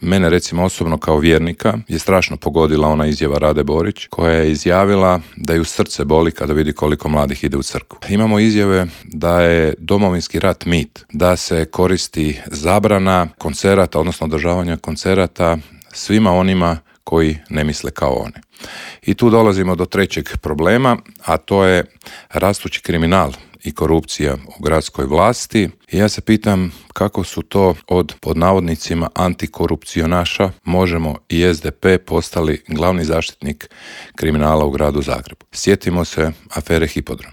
Mene recimo osobno kao vjernika je strašno pogodila ona izjava Rade Borić koja je izjavila da ju srce boli kada vidi koliko mladih ide u crkvu. Imamo izjave da je Domovinski rat mit, da se koristi zabrana koncerata, odnosno održavanja koncerata svima onima koji ne misle kao oni. I tu dolazimo do trećeg problema, a to je rastući kriminal i korupcija u gradskoj vlasti. I ja se pitam kako su to od, pod navodnicima, antikorupcionaša Možemo i SDP postali glavni zaštitnik kriminala u gradu Zagrebu. Sjetimo se afere Hipodrom.